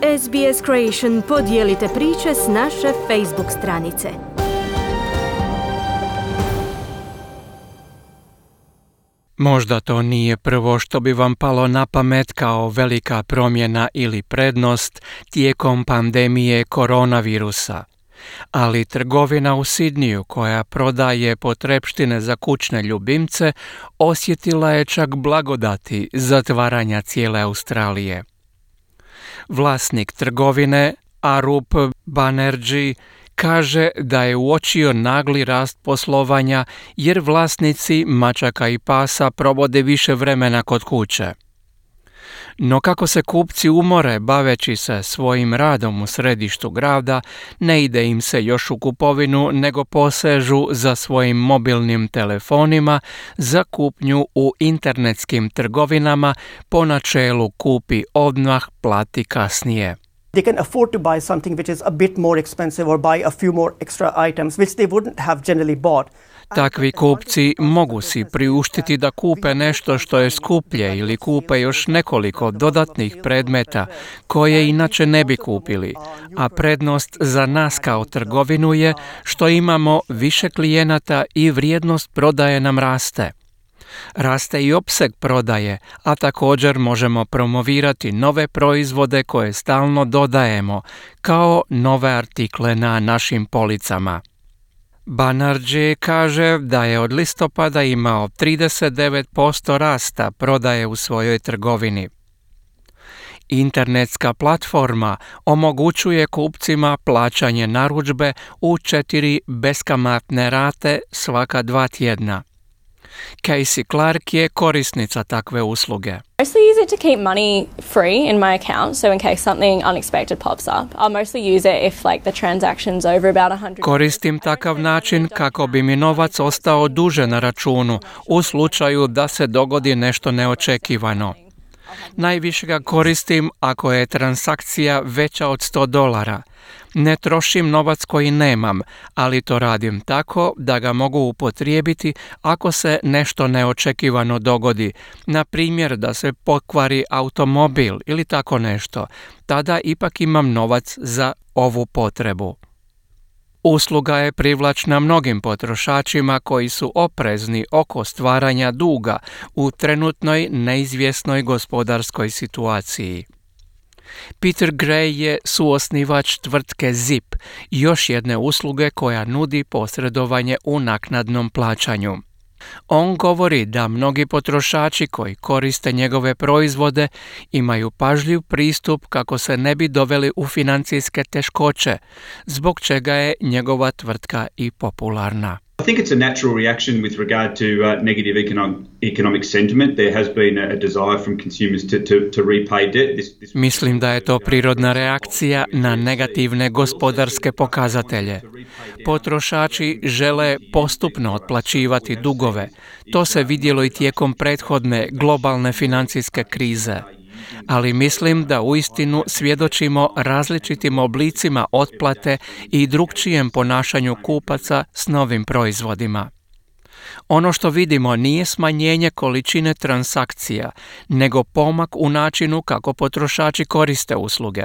SBS Creation podijelite priče s naše Facebook stranice. Možda to nije prvo što bi vam palo na pamet kao velika promjena ili prednost tijekom pandemije koronavirusa. Ali trgovina u Sidniju koja prodaje potrepštine za kućne ljubimce osjetila je čak blagodati zatvaranja cijele Australije. Vlasnik trgovine Arup Banerjee kaže da je uočio nagli rast poslovanja jer vlasnici mačaka i pasa provode više vremena kod kuće. No kako se kupci umore baveći se svojim radom u središtu grada, ne ide im se još u kupovinu nego posežu za svojim mobilnim telefonima za kupnju u internetskim trgovinama po načelu kupi odmah, plati kasnije. They can afford to buy something which is a bit more expensive or buy a few more extra items which they wouldn't have generally bought. Takvi kupci mogu si priuštiti da kupe nešto što je skuplje ili kupe još nekoliko dodatnih predmeta koje inače ne bi kupili, a prednost za nas kao trgovinu je što imamo više klijenata i vrijednost prodaje nam raste. Raste i opseg prodaje, a također možemo promovirati nove proizvode koje stalno dodajemo, kao nove artikle na našim policama. Banerjee kaže da je od listopada imao 39% rasta prodaje u svojoj trgovini. Internetska platforma omogućuje kupcima plaćanje narudžbe u 4 beskamatne rate svaka 2 tjedna. Casey Clark je korisnica takve usluge. Mostly use it to keep money free in my account, so in case something unexpected pops up. I'll mostly use it if the transaction's over about $100. Koristim takav način kako bi mi novac ostao duže na računu u slučaju da se dogodi nešto neočekivano. Najviše ga koristim ako je transakcija veća od $100. Ne trošim novac koji nemam, ali to radim tako da ga mogu upotrijebiti ako se nešto neočekivano dogodi, na primjer da se pokvari automobil ili tako nešto. Tada ipak imam novac za ovu potrebu. Usluga je privlačna mnogim potrošačima koji su oprezni oko stvaranja duga u trenutnoj neizvjesnoj gospodarskoj situaciji. Peter Gray je suosnivač tvrtke Zip, još jedne usluge koja nudi posredovanje u naknadnom plaćanju. On govori da mnogi potrošači koji koriste njegove proizvode imaju pažljiv pristup kako se ne bi doveli u financijske teškoće, zbog čega je njegova tvrtka i popularna. I think it's a natural reaction with regard to negative economic sentiment. There has been a desire from consumers to repay debt. Mislim da je to prirodna reakcija na negativne gospodarske pokazatelje. Potrošači žele postupno otplaćivati dugove. To se vidjelo i tijekom prethodne globalne financijske krize. Ali mislim da uistinu svjedočimo različitim oblicima otplate i drukčijem ponašanju kupaca s novim proizvodima. Ono što vidimo nije smanjenje količine transakcija, nego pomak u načinu kako potrošači koriste usluge.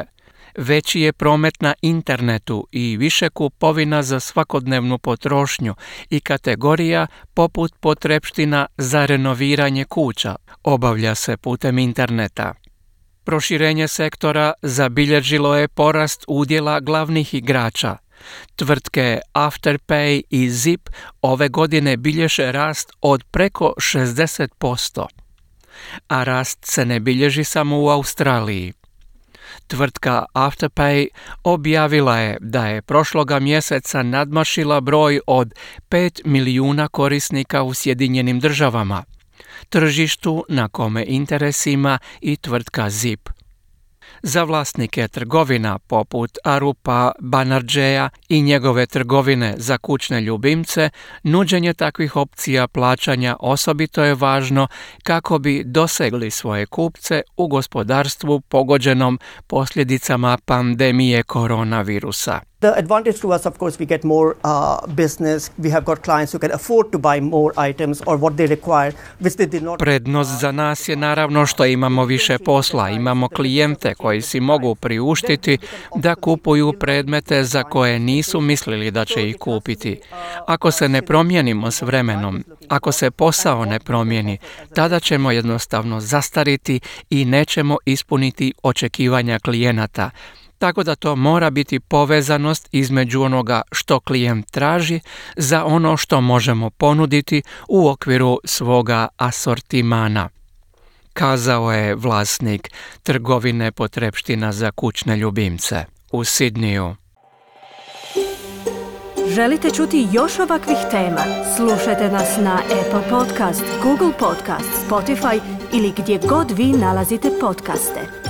Veći je promet na internetu i više kupovina za svakodnevnu potrošnju i kategorija poput potrepština za renoviranje kuća obavlja se putem interneta. Proširenje sektora zabilježilo je porast udjela glavnih igrača. Tvrtke Afterpay i Zip ove godine bilježe rast od preko 60%. A rast se ne bilježi samo u Australiji. Tvrtka Afterpay objavila je da je prošloga mjeseca nadmašila broj od 5 milijuna korisnika u Sjedinjenim Državama, tržištu na kome interes ima i tvrtka Zip. Za vlasnike trgovina poput Arupa Banerjeea i njegove trgovine za kućne ljubimce, nuđenje takvih opcija plaćanja osobito je važno kako bi dosegli svoje kupce u gospodarstvu pogođenom posljedicama pandemije koronavirusa. The advantage to us, of course, we get more business. We have got clients who can afford to buy more items or what they require, which they did not. Prednost za nas je naravno što imamo više posla, imamo klijente koji si mogu priuštiti da kupuju predmete za koje nisu mislili da će ih kupiti. Ako se ne promijenimo s vremenom, ako se posao ne promijeni, tada ćemo jednostavno zastariti i nećemo ispuniti očekivanja klijenata. Tako da to mora biti povezanost između onoga što klijent traži za ono što možemo ponuditi u okviru svoga asortimana, kazao je vlasnik trgovine potrepština za kućne ljubimce u Sidniju. Želite čuti još ovakvih tema? Slušajte nas na Apple Podcast, Google Podcast, Spotify ili gdje god vi nalazite podcaste.